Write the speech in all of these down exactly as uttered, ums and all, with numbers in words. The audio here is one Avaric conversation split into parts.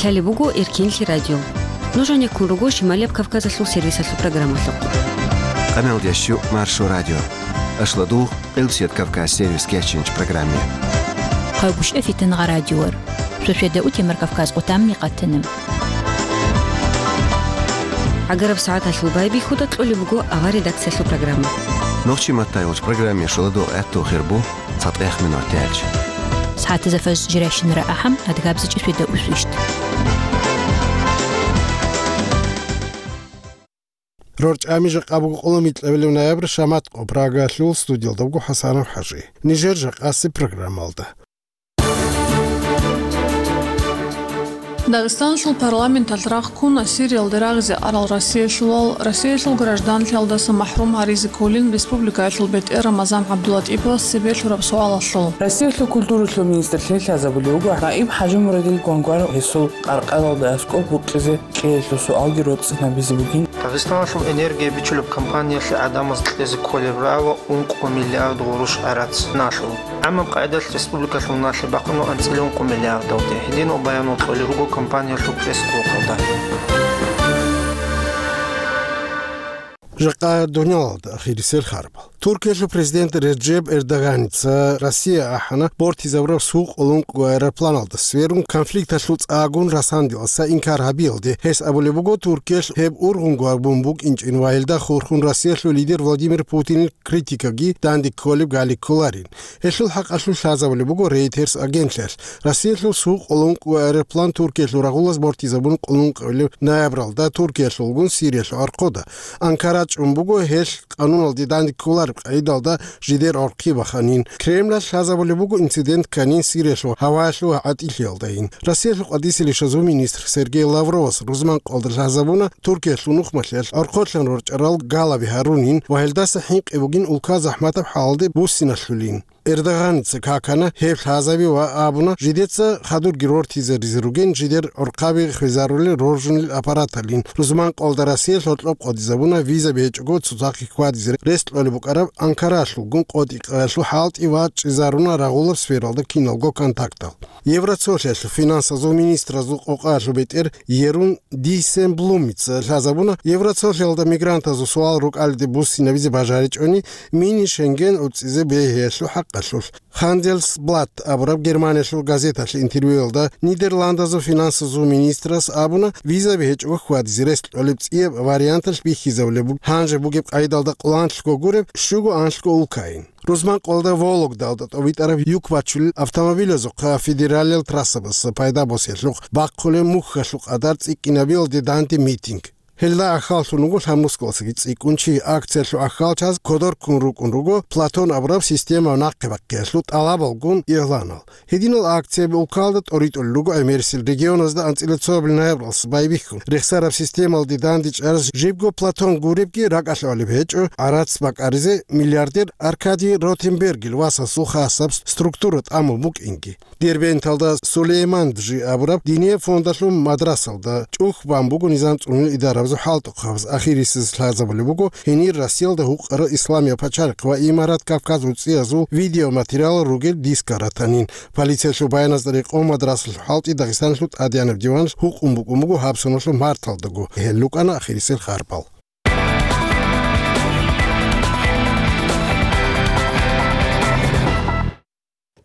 Лъалеб буго Эркенлъи радио. Нуж гьанеккун руго Шималияб Кавказалъул сервисалъул программалъухъ. Къамел ящу Маршо радио. Ашладугъ, Къилсият Кавказ сервис кечинч программе. Къайгушев Фитангъа радиор. Шошеда утемар Кавказ къутамни къатана. Агараб сагӀаталъул байбихьуда кьолеб буго авар редакциялъул программа. Нохчи маттай вач программе шоладо гӀатту хирбу. ЦатӀех минуталъ. СагӀатазда фажр жирайщинара ахӀам, адгабзичӀеб шведа усвищт. РорчӀами жакъа буго къоло микьабилев ноябрь, шамат къо Прагалъул студиялда буго ХӀасанов ХӀажи. Нижер жакъаси программалда. Дагъистаналъул парламенталъ рахъ ккуна Сириялде рагъизе арал Россиялъулал, Россиялъул гражданлъиялдаса махӀрум гьаризе кколин республикаялъул бетӀер Рамазан ГӀабдулатӀиповас цебе лъураб суалалъул. Россиялъул культуралъул министрлъи лъазабулев вуго наиб ХӀажимурадил Гвангвар гьесул къаркъалалда аскӀоб букъизе кьеялъул суалги роцӀцӀинабизе бугин. Дагъистаналъул энергия бичулеб компаниялъе гӀадамаз кьезе кколеб рагӀула ункъо миллиард гъурущ гӀарац налъул. ГӀамаб къайдалъ республикалъул налъи бахъуна анцӀила ункъо миллиардалде. Гьединал баянал кьолел руго компаниялъул пресс-службалда. Жакъа дуниялалда ахирисел харбал. Туркиялъул президент Реджеп Эрдоганица Россия ахӀана бортизабураб суд къулункъго аэропланалда сверун, конфликталъул цӀагун расандиласа инкар гьабиялде. Гьес абулеб буго, Туркиялъ гьеб ургъунго абун букӀинчӀин ва гьелда хурхун Россиялъул лидер Владимир Путинил критикаги данде кколеб гали кколарин. Гьелъул хӀакъалъулъ лъазабулеб буго Reuters агентлъиялъ. Россиялъул суд къулункъго аэроплан Туркиялъул рагъулаз бортизабун къулункъабилеб ноябралда Туркиялъулгун Сириялъул архъуда. Анкара чӀун буго гьелъ къануналде данде кколареб къагӀидалда жидер гӀорхъи баханин. Кремлалъ лъазабулеб буго инцидент кканин Сириялъул гьаваялъул гӀатӀилъиялдайин. Россиялъул къватӀисел ишазул министр Сергей Лавровас рузман къалда лъазабуна Туркиялъул нухмалъиялъ гӀорхъолъан рорчӀарал галаби гьарунин ва гьелдаса хӀинкъи бугин улка захӀматаб хӀалалде буссиналъулин. Эрдоганица какана гьеб лъазаби ва абуна, жидеца хадурги рортизаризе ругин, жидер гӀорхъаби хвезарулел роржунел аппараталин. Рузман къалда Россия лъокьоб къодизабуна визаби гьечӀого цоцахъе хьвадизе рес кьолеб букӀараб Анкаралъулгун къотӀи-къаялъул хӀалтӀи ва чӀезаруна рагъулаб сфералда киналго контактал. Евроцолъиялъул финансазул министразул къокъаялъул бетӀер Ерун Дийсенблумица лъазабуна Евроцолъиялда мигрантазул суал рукӀалиде буссинабизе бажаричӀони, мини-Шенген уцӀизе бегьиялъул хӀакъалъулъ. Хандельсблат абураб Германиялъул газеталъе интервьюялда Нидерландазул финансазул министрас абуна, визаби гьечӀого хьвадизе рес кьолеб цӀияб варианталъ бихьизабулеб буго гьанже бугеб къайдалда къоланлъго гуреб щуго анлъго улкайин. Рузман къалда Вологдалда тӀобитӀараб юк бачулел автомобилазухъа федералиял трассабаз пайда босиялъухъ бахъулеб мухьалъул къадар цӀикӀкӀинабиялде данде митинг. Гьелда ахьаллъун вуго лъабнусгалдасаги цӀикӀкӀун чи. Акциялъул ахьалчаз кодор ккун рукӀун руго Платон абураб система нахъе-бахъиялъул тӀалабалгун игъланал. Гьединал акцияби улкалда тӀоритӀулел руго гӀемерисел регионазда анцӀила цоабил ноябралъ байбихьун. Рехсараб системалде дандечӀараз жибго Платон гуребги ракӀалъ гьалеб гьечӀо гӀарац бакӀаризе миллиардер Аркадий Ротенбергил васасул хасаб структура тӀамун букӀинги. Дербенталда Сулейман Джи абураб динияб фондалъул мадрасалда чӀухь бан буго низам цӀунул идарабазул хӀалтӀухъабаз. Ахирисез лъазабулеб буго гьенир Россиялда гьукъарал Исламияб пачалихъ ва Имарат Кавказ уцӀиязул видеоматериалал ругел дискал ратанин. Полициялъул баяназда рекъон мадрасалъул хӀалтӀи Дагъистаналъул тӀадегӀанаб диваналъ гьукъун букӀун буго гьаб соналъул марталдаго. Гьел рукӀана ахирисел харбал.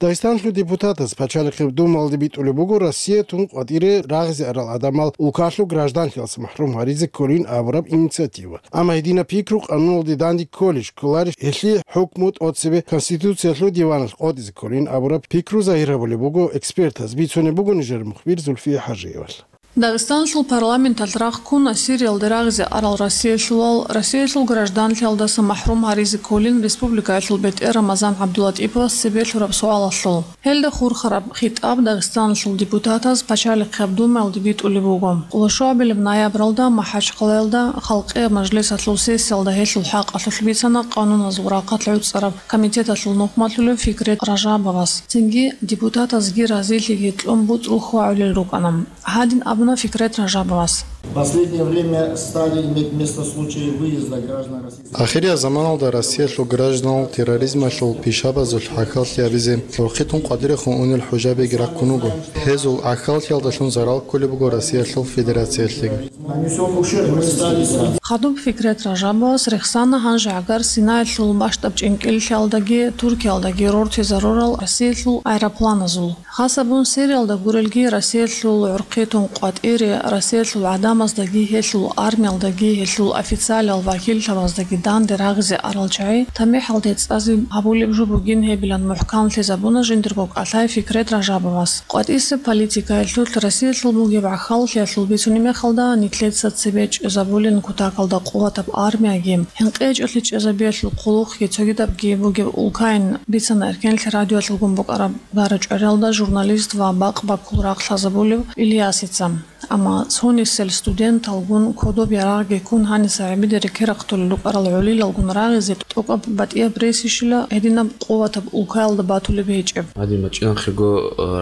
Дагъистанлъул депутатаз Пачалихъеб Думалде битӀулеб буго Россия тун къватӀире рагъизе арал гӀадамал улкалъул гражданлъиялдаса махӀрум гьаризе кколин абураб инициатива. Амма гьединаб пикру къануналде данде кколищ, кколарищ, гьелъие хӀукму тӀоцебе Конституциялъул диваналъ къотӀизе кколин абураб пикру загьир гьабулеб буго экспертаз. Бицунеб буго нижер мухбир Зульфия ХӀажиевалъ. Дагъистаналъул парламенталъ рахъ ккуна Сириялде рагъизе арал Россиялъулал, Россиялъул гражданлъиялдаса махӀрум гьаризе кколин республикаялъул бетӀер Рамазан ГӀабдулатӀиповас цебе лъураб суалалъул. Гьелда хурхараб хитӀаб Дагъистаналъул депутатаз Пачалихъеб Думаялде битӀулеб буго. Къолошуабилеб ноябралда МахӀачхъалаялда Халкъияб мажлисалъул сессиялда гьелъул хӀакъалъулъ бицана къануназул рахъалъ гӀуцӀараб комитеталъул нухмалъулев Фикрет Ражабовас. Цинги депутатазги разилъиги кьун буцӀрул хьвагӀулел рукӀана. Гьадин абуна Фикрет Ражабовас. В последнее время стали иметь место случаи выезда граждан Российской Ахириял заманалда Россиялъул гражданал терроризмалъул пишабазулъ гӀахьаллъи гьабизе, рохъитун къватӀирехун унел хӀужабиги раккун вуго. Гьезул гӀахьаллъиялдалъун зарал кколеб буго Россиялъул Федерациялъеги. Нанесён ущерб мы стали. Хадуб Фикрет Ражабовас рехсана гьанже гӀагар Синаялъул бащдаб чӀинкӀиллъиялдаги Туркиялдаги рортизарурал Россиялъул аэропланазул. Хасабун сериялда гурелги Россиялъул гӀурхъи тун къватӀире, Россиялъул гӀадамаздаги гьелъул армиялдаги гьелъул официалиял вакиллъабаздаги данде рагъизе арал чагӀи тамихӀалде цӀазе гьабулеб жо бугин гьебилан мухӀканлъизабуна жиндирго кӀалъай Фикрет Ражабовас. КъватӀисеб политикаялъулъ Россиялъул бугеб гӀахьаллъиялъул бицунеб мехалда, нилъеца цебе чӀезабулин кутакалда къуватаб армияги, хӀинкъичӀелъи чӀезабиялъул хъулухъги цогидабги бугеб улкайин, бицана Эркенлъи радиоялъулгун букӀараб гара-чӀвариялда журналист ва бакъ-баккул рахъ лъазабулев Ильясица. Амма цонисел студенталгун кодоб ярагъги ккун гьаниса гӀебиде рекерахъулел рукӀарал гӀолилалгун рагъизе тӀокӀаб батӀияб ресищила гьединаб къуватаб улкаялда батулеб гьечӀеб. Гьадин бачӀинахъего,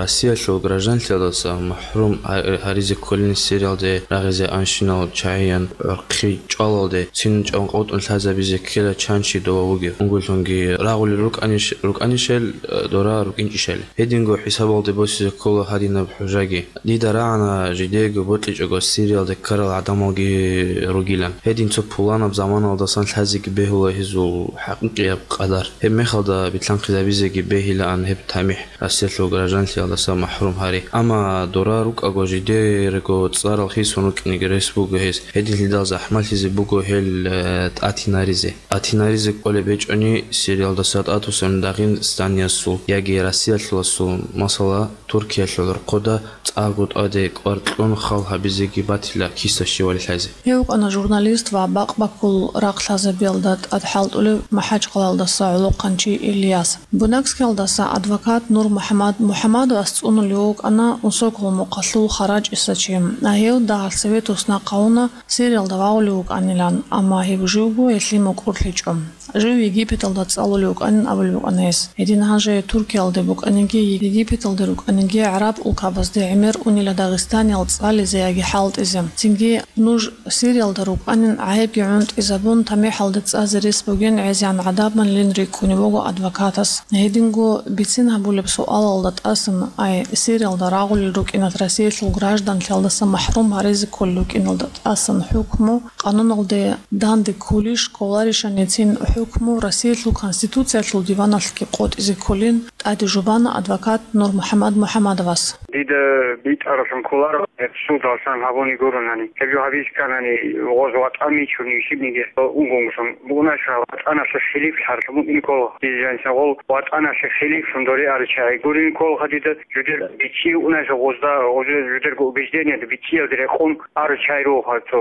Россиялъул гражданлъиялдаса махӀрум гьа-, гьаризе кколин сериялде рагъизе анщинал чагӀиян гӀурхъи чӀвалалде, цин чӀван къотӀун лъазабизе ккела чан чи дова вугев. Унгуллъунги рагъулел рукӀаниш-, рукӀанишел, дора рукӀинчӀищали. Гьединго хӀисабалде босизе ккола гьадинаб хӀужаги. Дида рагӀана жидеего бокьичӀого Сириялде ккарал гӀадамалги ругилан. Гьедин цо пуланаб заманалдасан лъазеги бегьула гьезул хӀакъикъияб къадар. Гьеб мехалда битлъанхъизабизеги бегьилаан гьеб тамихӀ Россиялъул гражданлъиялдаса махӀрум гьари. Амма дора рукӀаго жидерго цӀарал хисун рукӀинеги рес буго гьез. Гьединлъидал захӀмалъизе буго гьел, э, тӀатинаризе. ТӀатинаризе кӀолеб гьечӀони, Сириялдаса тӀатусан Дагъистаниясул яги Россиялъуласул, масала, Туркиялъул гӀурхъуда цӀакъго тӀаде кӀвар кьун хал гьабизеги батила киса-щивали лъазе. Гьев вукӀана журналист ва бакъ-баккул рахъ лъазабиялда тӀад хӀалтӀулев МахӀачкъалалдаса гӀолохъанчи Ильяс. Бунакскиялдаса адвокат Нур МухӀаммад МухӀаммадовас цӀунулев вукӀана Усокол мухъалъул харачӀиса чи. Гьев дагьалъ Советосна хъавуна Сириялда вагъулев вукӀанилан, амма гьев живго гьелъие мукӀурлъичӀо. Жив Египеталда цӀалулев вукӀанин абулеб букӀана гьес. Гьедин гьанже Туркиялде букӀаниги, Египеталде рукӀаниги гӀараб улкабазде гӀемер унила Дагъистаниял цӀализе яги хӀалтӀизе. Цинги нуж Сириялда рукӀанин гӀайибги гӀунтӀизабун, тамихӀалде цӀазе рес бугин гӀезегӀан гӀадамалин рикӀкӀунев вуго адвокатас. Гьединго бицин гьабулеб суалалда тӀасан, ай, Сириялда рагъулел рукӀиналъ Россиялъул гражданлъиялдаса махӀрум гьаризе кколел рукӀиналда тӀасан хӀукму къануналде данде кколищ, кколарищ, гьаниб цин хӀукму Россиялъул Конституциялъул диваналъги къотӀизе кколин тӀаде жубана адвокат Нур МухӀаммад МухӀаммадовас. Дида битӀаралъун кколаро, гьеб судалъан гьабуни гуронани. Гьеб жо гьабиз кканани, гъоз ватӀан мичун ишибниги, унгонгусун. Бугунаша ватӀаналъе хилиф лъарлъун букӀин ккола. Дизе жаниса гъол ватӀаналъе хилифлъун доре аричагӀи гурин кколха дида, жудер бичӀчӀи унаша гъозда, гъозда жудерго убеждениеда бичӀчӀиялде рекъон аричагӀи руха цо.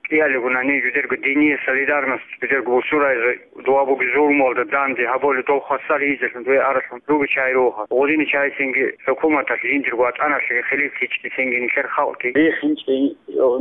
КӀиялигунани жудерго диние солидарность, жудерго бусурайзе дуа буги зурмуалда данде гьаболи дол хвасар гьизелъун дуе аралъун руги чай руха. Гъудини чай цинги хӀукуматалъ жиндирго ватӀаналъеги хилифлъичӀи цинги нилъер халкъги. РихинчӀи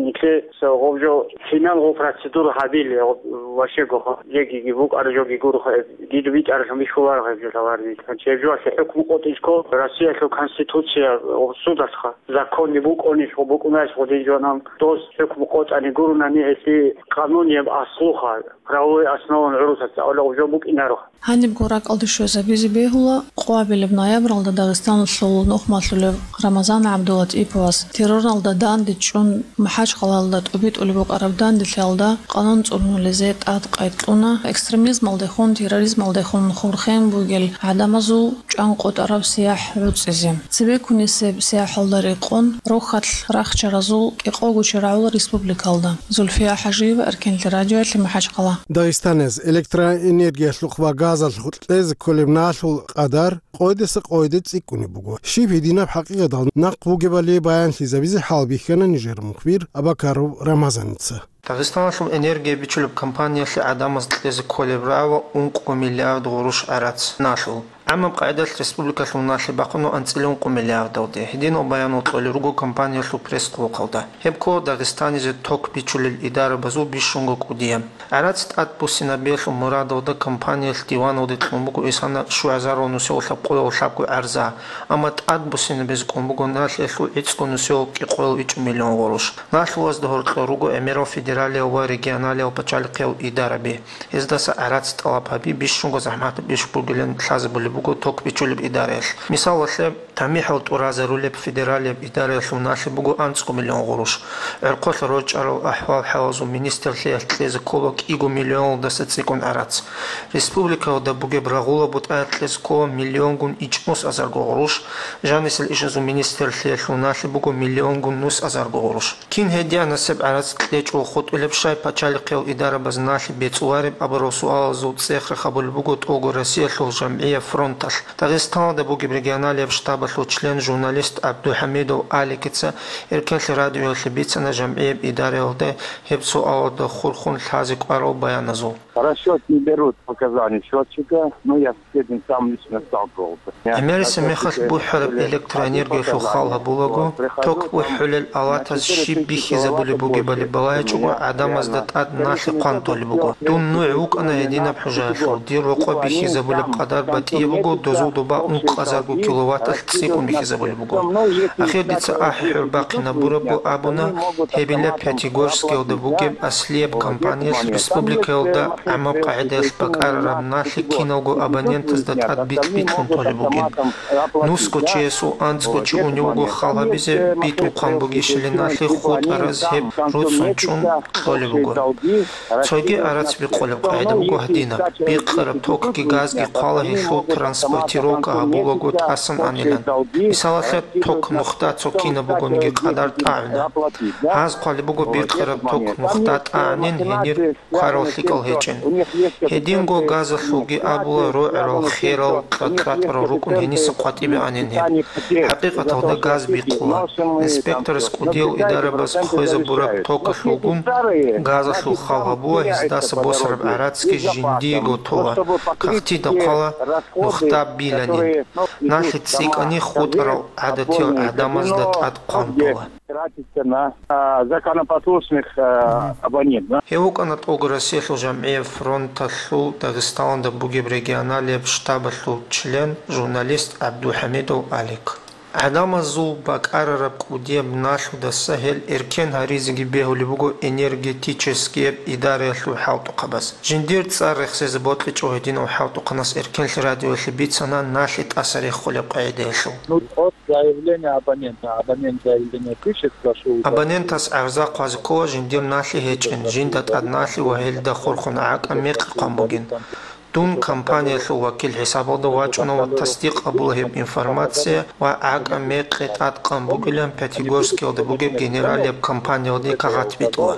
нилъе гъоб жо финал гъоб процедура гьабили, гъоб вашего ха, жегиги букӀар жоги гурха, дида битӀаралъун бихьуларха гьеб жо лаварни. Гьанчи гьеб жоалъе хӀукму къотӀичӀго Россиялъул Конституция гъоб судалъха. Законни букӀунищ, букӀунайищ гъудин жо, нан доз хӀукму къотӀани гурунани гьелъи къанунияб аслуха, правовой основан гӀурусаца гӀоло гъуб жо букӀинаро. Гьанибго ракӀалде щвезабизе бегьула, къоабилеб ноябралда Дагъистаналъул нухмалъулев Рамазан ГӀабдулатӀиповас террорналда данде чӀун МахӀачкъалалда тӀубитӀулеб букӀараб данделъиялда къанун цӀунулизе тӀад къайд кьуна, экстремизмалдехун, терроризмалдехун хурхен бугел гӀадамазул чӀван къотӀараб сияхӀ гӀуцӀизе. Цебеккунесеб сияхӀалда рекъон рохьалъ рахчаразул кӀикъого чирагӀула республикалда. Зульфия ХӀажиева, Эркенлъи радиоялъе, МахӀачкъала. Дагъистаназ электроэнергиялъухъ ва газалъухъ кьезе кколеб налъул къадар къойдаса къойде цӀикӀкӀунеб буго. Щиб гьединаб хӀакъикъатал нахъ бугебали баянлъизабизе хӀалбихьана нижер мухбир Абакаров Рамазаница. Дагъистаналъул энергия бичулеб компаниялъе гӀадамаз кьезе кколеб рагӀула ункъо миллиард гъурущ гӀарац налъул. ГӀамаб къагӀидалъ республикалъул налъи бахъуна анцӀила ункъо миллиардалде. Гьединал баянал кьолел руго компаниялъул пресс-хъулухъалда. Гьеб ккола Дагъистанизе ток бичулел идарабазул бищунго кӀудияб. ГӀарац тӀадбуссинабиялъул мурадалда компаниялъ диваналде кьун буго исана щугӀазарал нусиялъул лъабкъоялъул лъабго гӀарза, амма тӀадбуссинабизе кӀун буго налъиялъул гӀицӀго нусиялъул кӀикъоялъул ичӀго миллион гъурущ. Налъуязда гьоркьор руго гӀемерал федералиял ва регионалиял пачалихъиял идараби. Гьездаса гӀарац тӀалаб гьаби бищунго захӀматаб иш бугилан лъазабулеб буго ток бичулеб идараялъ. Мисалалъе, тамихӀал тӀуразарулеб федералияб идараялъул налъи буго анцӀго миллион гъурущ. ГӀорхъолъа рорчӀарал ахӀвал-хӀалазул министрлъиялъ кьезе ккола кӀиго миллионалдаса цӀикӀкӀун гӀарац. Республикаялда бугеб рагъула бутӀаялъ кьезе ккола миллионгун ичӀнус азарго гъурущ, жанисел ишазул министрлъиялъул налъи буго миллионгун нус азарго гъурущ. Кин гьединасеб гӀарац кьечӀого хутӀулеб щай пачалихъиял идарабаз налъи бецӀулареб абурал суалазул цӀех рахъ гьабулеб буго тӀолго Россиялъул жамгӀияб фронталъ. Дагъистаналда бугеб регионалияб штабалъул член, журналист ГӀабдухӀамидов Аликица Эркенлъи радиоялъе бицана жамгӀияб идараялда гьеб суалалда хурхун лъазе кӀварал баяназул. Расчёт не берут показания счётчика, но я с этим сам лично сталкивался. ГӀемерисеб мехалъ бухӀараб электроэнергиялъул хал гьабулаго, ток бухӀулел алатаз щиб бихьизабулеб бугебали балагьичӀого, гӀадамазда тӀад налъи хъван толеб буго. Дун нугӀ вукӀана гьединаб хӀужаялъул, дир рокъоб бихьизабулеб къадар батӀияб буго, дозул доба ункъазарго киловатталъ цӀикӀкӀун бихьизабулеб буго. Ахир дица ахӀи-хӀур бахъинабурабго абуна, гьебила Пятигорскиялда бугеб аслияб компаниялъ республикаялда гӀамаб къагӀидаялъ бакӀарараб налъи киналго абонентазда тӀад бикь-бикьун толеб бугин. Нусго чиясул анцӀго чи унев вуго хал гьабизе, битӀухъан бугищали налъи хутӀараз гьеб руцӀцӀун чӀун кьолеб буго. Цоги гӀарац бикъулеб къагӀида буго гьадинаб: бикъараб токги газги хъвала гьелъул транспортировка гьабулаго тӀасан анилан. Мисалалъе, ток нухда цо кинаб бугониги къадар тӀагӀуна. Гьаз хъвалеб буго бикъараб ток нухда тӀагӀанин гьенир кварал лъикӀал гьечӀин. Гьединго газалъулги абула, рогӀарал, херал, кьакьратӀарал рукӀун гьениса къватӀибе анин гьеб. ХӀакъикъаталда газ бикъула. Инспекторас кӀудиял идарабаз хвезабураб токалъулгун газалъул хал гьабула, гьездаса босараб гӀарацги жиндиего тола, кагътида хъвала нухда биланин. Налъи цӀикӀкӀани хутӀарал гӀадатиял гӀадамазда тӀад хъван тола. Тратится на, а, законопослушных, а, абонентов. Гьев вукӀана тӀолго Россиялъул жамгӀияб фронталъул Дагъистаналда бугеб регионалияб штабалъул член, журналист ГӀабдухӀамидов Алик. ГӀадамазул бакӀарараб кӀудияб налъудаса гьел эркен гьаризеги бегьулеб буго энергетическияб идараялъул хӀалтӀухъабаз. Жиндир цӀар рехсезе бокьичӀого гьединав хӀалтӀухъанас Эркенлъи радиоялъе бицана налъи тӀаса реххулеб къагӀидаялъул. Ну, от заявления абонента. Абонент заявление пишет, прошу. Абонентас гӀарза хъвазе ккола жиндир налъи гьечӀин, жинда тӀад налъи ва гьелда хурхун гӀакӀа мекъи хъван бугин. Дун компаниялъул вакил хӀисабалда вачӀуна ва тасдикъ гьабула гьеб информация ва гӀакӀа мекъи тӀадкъан бугилан Пятигорскиялда бугеб генералияб компаниялде кагъат битӀула.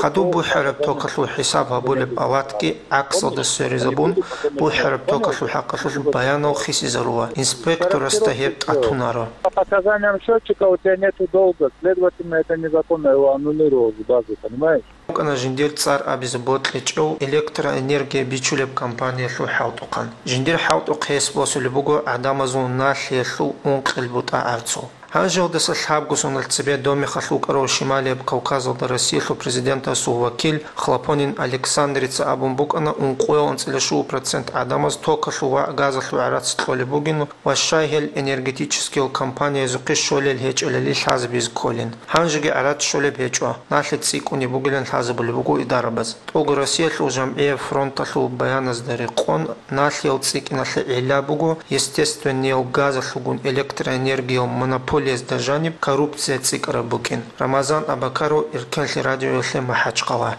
Хадуб бухӀараб токалъул хӀисаб гьабулеб алатги гӀаксалда сверизабун, бухӀараб токалъул хӀакъалъулъ баянал хисизарула, инспекторасда гьеб тӀатунаро. По показаниям счётчика у тебя нету долга, следовательно, это незаконно, его аннулировал с базы, понимаешь? ВукӀана жиндир цӀар абизе бокьичӀев электроэнергия бичулеб компаниялъул хӀалтӀухъан. Жиндир хӀалтӀухъ гьес босулеб буго гӀадамазул налъиялъул ункъел бутӀа гӀарцул. Гьанжеялдаса лъабго соналъ цебе Домехалъ вукӀарав Шималияб Кавказалда Россиялъул президентасул вакил Хлопонин Александрица абун букӀана, ункъоял анцӀила щуго процент гӀадамаз токалъул ва газалъул гӀарац кьолеб бугин ва щай гьел энергетическиял компаниязухъе щолел гьечӀелали лъазабизе кколин. Гьанжеги гӀарац щолеб гьечӀо, налъи цӀикӀкӀунеб бугилан лъазабулеб буго идарабаз. ТӀолго Россиялъул жамгӀияб фронталъул баяназда рекъон, налъиял цӀикӀкӀиналъе гӀилла буго естественниял газалъулгун электроэнергиял монополиязда жаниб коррупция цӀикӀкӀараб букӀин. Рамазан Абакаров, Эркенлъи радиоялъе, МахӀачхъала.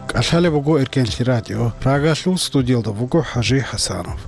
КӀалъалеб буго Эркенлъи радио. Прагалъул студиялда вуго ХӀажи ХӀасанов.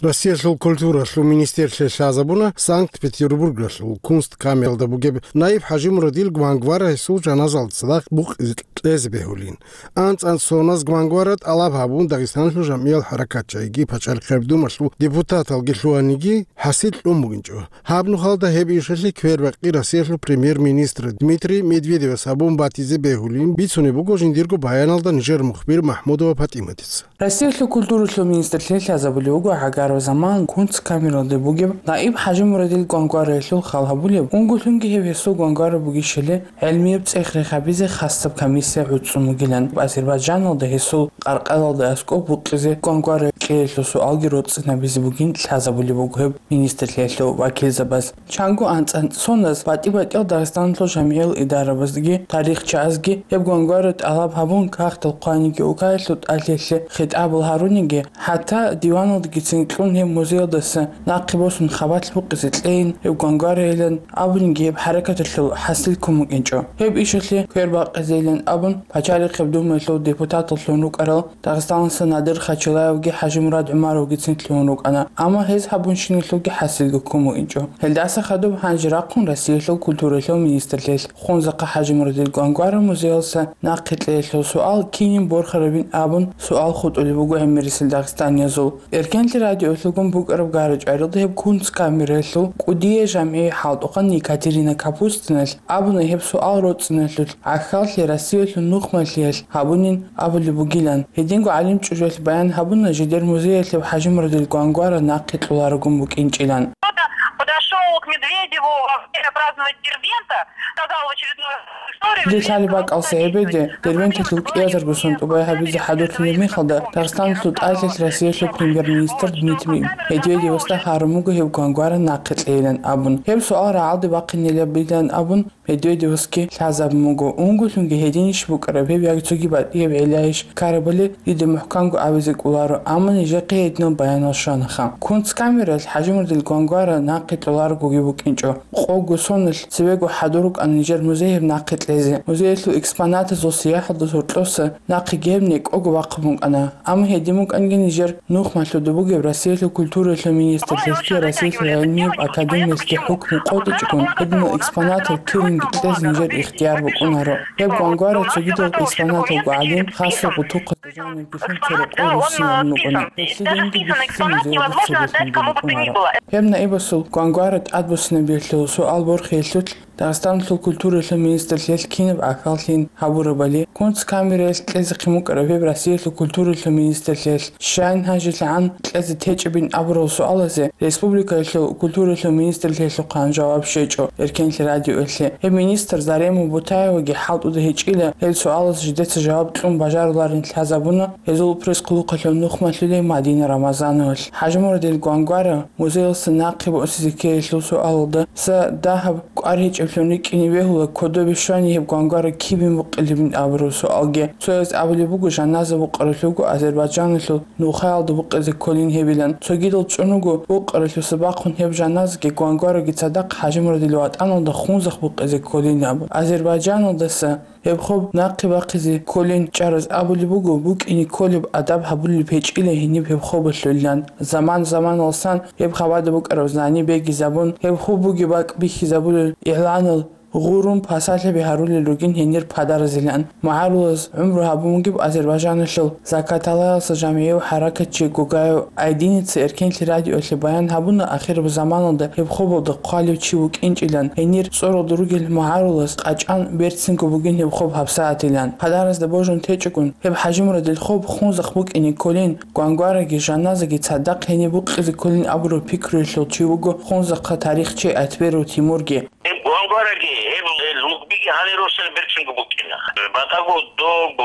Россиялъул культуралъул министрлъи лъазабуна Санкт-Петербургралъул Кунсткамералда бугеб наиб ХӀажимурадил Гвангвара гьесул жаназалда цадахъ букъизе кьезе бегьулин. АнцӀанцӀ соназ Гвангвара тӀалаб гьабун Дагъистаналъул жамгӀиял хӀаракатчагӀиги пачалихъеб думалъул депутаталги лъугьаниги хӀасил кьун бугинчӀо. Гьаб нухалда гьеб ишалъе квербакъи Россиялъул премьер-министр Дмитрий Медведевас гьабун батизе бегьулин бицунеб буго жиндирго баяналда нижер мухбир Махмудова ПатӀиматица. Россиялъул культуралъул министрлъи лъазабулев вуго гӀагарав заман Кунсткамералде бугеб наиб ХӀажимурадил Гвангвараялъул хал гьабулеб, унго лъунги гьеб гьесул Гвангвара бугищали гӀелмияб цӀех-рех гьабизе хасаб комиссия гӀуцӀцӀун бугилан. Азербайджаналда гьесул къаркъалалда аскӀоб букъизе Гвангвара кьеялъул суалги роцӀцӀинабизе бугин лъазабулеб буго гьеб министрлъиялъул вакилзабаз. Чанго анцӀанцӀ соназ батӀи-батӀиял Дагъистаналъул жамгӀиял идарабазги тарихчиязги гьеб Гвангвара тӀалаб гьабун, кагътал хъваниги, улкаялъул тӀалъиялъе хитӀабал гьаруниги, хӀатта диваналдагицин кьун гьеб музеялдаса нахъе босун хабалъ букъизе кьейин гьеб Гвангварайилан абуниги гьеб хӀаракаталъул хӀасил ккун букӀинчӀо. Гьеб ишалъе квербакъизейилан абун, пачалихъеб думаялъул депутаталлъун рукӀарал Дагъистаналъа Надир Хачилаевги ХӀажимурад ГӀумаровгицин лъугьун рукӀана, амма гьез гьабунщиналъулги хӀасилги ккун букӀинчӀо. Гьелдаса хадуб гьанже рахъун Россиялъул культуралъул министрлъиялъ Хунзахъа ХӀажимурадил Гвангвара музеялса нахъе кьеялъул суал кинин борхарабин абун суал хутӀулеб буго гӀемерисел дагъистаниязул. Эркенлъи радиоялъулгун букӀараб гара-чӀваралда гьеб Кунсткамераялъул кӀудияй жамгӀи хӀалтӀухъан Екатерина Капустиналъ абуна гьеб суал роцӀцӀиналъулъ гӀахьаллъи Россиялъул нухмалъиялъ гьабунин абулеб бугилан. Гьединго гӀалим чӀужуялъ баян гьабуна жидер музеялъеб ХӀажимурадил Гвангвара нахъе кьоларогун букӀинчӀилан. Кто-то подошёл к Медведеву во время празднования Дербента, сказал в очередной раз историю. Жидер лъалеб бакӀалса гьебеде, Дербенталъул кӀиазарго сон тӀубай гьабизе хӀадурлъулеб мехалда, Дагъистаналъул тӀалъиялъ Россиялъул премьер-министр Дмитрий Медведевасда гьарун буго гьеб Гвангвара нахъе кьейилан абун. Гьеб суал рагӀалде бахъинилан абун, Медведевасги лъазабун буго. Унго лъунги гьединищ букӀараб гьеб яги цоги батӀияб гӀиллайищ ккарабали дида мухӀканго абизе кӀоларо, амма нижехъе гьединал баянал щванаха. Кунсткамералъ ХӀажимурадил Гвангвара нахъе кьоларогоги букӀинчӀо. Къого соналъ цевего хӀадур рукӀана нижер музей гьеб нахъе кьезе. Музеялъул экспонатазул сияхӀалда гьоркьоса нахъеги гьеб некӀого бахъун букӀана. Амма гьедин букӀанги нижер нухмалъуда бугеб Россиялъул культуралъул министрлъиялъги Россиялъул гӀилмияб академиялъги хӀукму къотӀичӀогун, гьединал экспонатал киринги кьезе нижер ихтияр букӀунаро. Гьеб Гвангвара цогидал экспонаталго гӀадин, хасго гъутухъа жанргилъун церекъой руссиналъун рукӀуна. Гьелъие гьениб бихьизабун музеялда цебе лъун букӀунаро. Гьеб наибасул Гвангвара тӀадбуссинабиялъул суал борхиялъулъ Дагъистаналъул культуралъул министрлъиялъ кинаб гӀахьаллъин гьабурабали, Кунсткамераялъ кьезехъин букӀараб гьеб Россиялъул культуралъул министрлъиялъ щайин гьанжелъагӀан кьезе течӀебин абурал суалазе республикаялъул культуралъул министрлъиялъухъан жаваб щвечӀо Эркенлъи радиоялъе. Гьеб министр Зарема Бутаеваги хӀалтӀуда гьечӀила гьел суалаз жидеца жаваб кьун бажаруларин лъазабуна гьезул пресс-хъулухъалъул нухмалъулей Мадина Рамазановалъ. ХӀажимурадил Гвангвара музеялса нахъе босизе ккеялъул суалалда са дагьаб кӀвар гьечӀеблъун рикӀкӀине бегьула, кодобе щвани гьеб Гвангвара кибин букъилебин абураб суалги. Цояз абулеб буго, жаназа букъаралъуго Азербайджаналъул нухаялда букъизе кколин гьебилан. Цогидал чӀун руго букъаралъуса бахъун гьеб жаназаги Гвангвараги цадахъ ХӀажимурадил ватӀаналда Хунзахъ букъизе кколин абун. Азербайджаналдаса гьеб хоб нахъе бахъизе кколин чӀараз абулеб буго, букӀине кколеб адаб гьабулеб гьечӀила гьениб гьеб хобалъулилан. Заман-заманалсан гьеб хабада букӀараб знани бегизабун, гьеб хоб бугеб бакӀ бихьизабулел игъланал гъурун пасалъаби гьарулел ругин гьенир падаразилан. МугӀарулаз гӀумру гьабун бугеб Азербайджаналъул Закаталаялса жамгӀияв хӀаракатчи Гугаев Айдиница Эркенлъи радиоялъе баян гьабуна, ахираб заманалда гьеб хобалда хъвалев чи вукӀинчӀилан, гьенир цӀоралда ругел мугӀарулаз къачӀан берцинго бугин гьеб хоб гьабсагӀатилан. Падаразда божун течӀогун, гьеб ХӀажимурадил хоб Хунзахъ букӀине кколин, Гвангвараги жаназаги цадахъ гьениб букъизе кколин абураб пикруялъул чи вуго Хунзахъа тарихчи Айтберов Тимурги. Гьеб Гвангвараги, гьеб, гьел лугбиги гьанир росулел берцинго букӀина. БатӀаго доб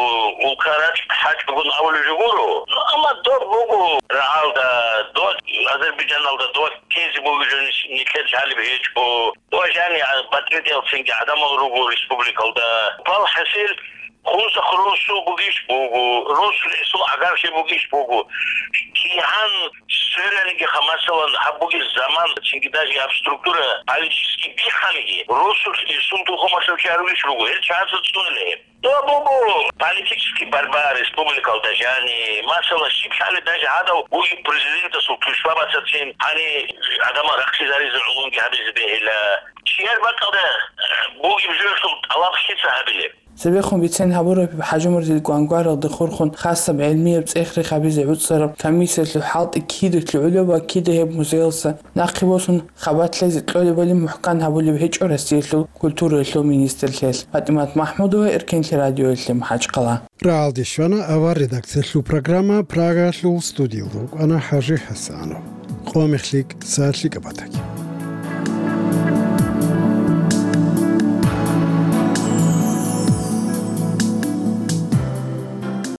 улкаракь гьачӀогун абулеб жо гуро. Ну, амма доб буго рагӀалда, доб Азербайджаналда, доб ккезе буго жо нилъер лъалеб гьечӀо. Доб жани батӀи-батӀиялцинги гӀадамал руго республикалда. Балхасил, Хунсахъ росу бугищ буго, росу ресул агарлъи бугищ буго. КигӀан свераниги ха, масалан, гьаб бугес заман, цинги даже гьаб структура политически биханиги, росу ресул тухумалъул чи гьаругищ буго, гьел чагӀаца цӀунила гьеб. Ну, абу-, бу-, политический борьба республикалда жани, масала, щиб лъали даже гьадав бугеб президентасул тушба бацацин, гьани гӀадамал рахъизаризе гӀолонги гьабизе бегьила. Чияр бакӀалда, э, бугеб жоялъул тӀалаб лъица гьабилеб? Цебехун бицен гьабураб ХӀажимурзил гвангваралда хурхун хасаб гӀелмияб цӀех-рех гьабизе гӀуцӀараб комиссиялъул хӀалтӀи кидаялъе гӀолеб ва кида гьеб музеялса нахъе босун хабалъ лъезе кьолебали мухӀкан гьабулеб гьечӀо Россиялъул культураялъул министрлъиялъ. ПатӀимат МахӀмудова, Эркенлъи радиоялъе, МахӀачхъала. РагӀалде щвана авар редакциялъул программа, Прагалъул студиялда рукӀана ХӀажи ХӀасанов. Къо мехлъи кӀиса лъикӀаб батаги.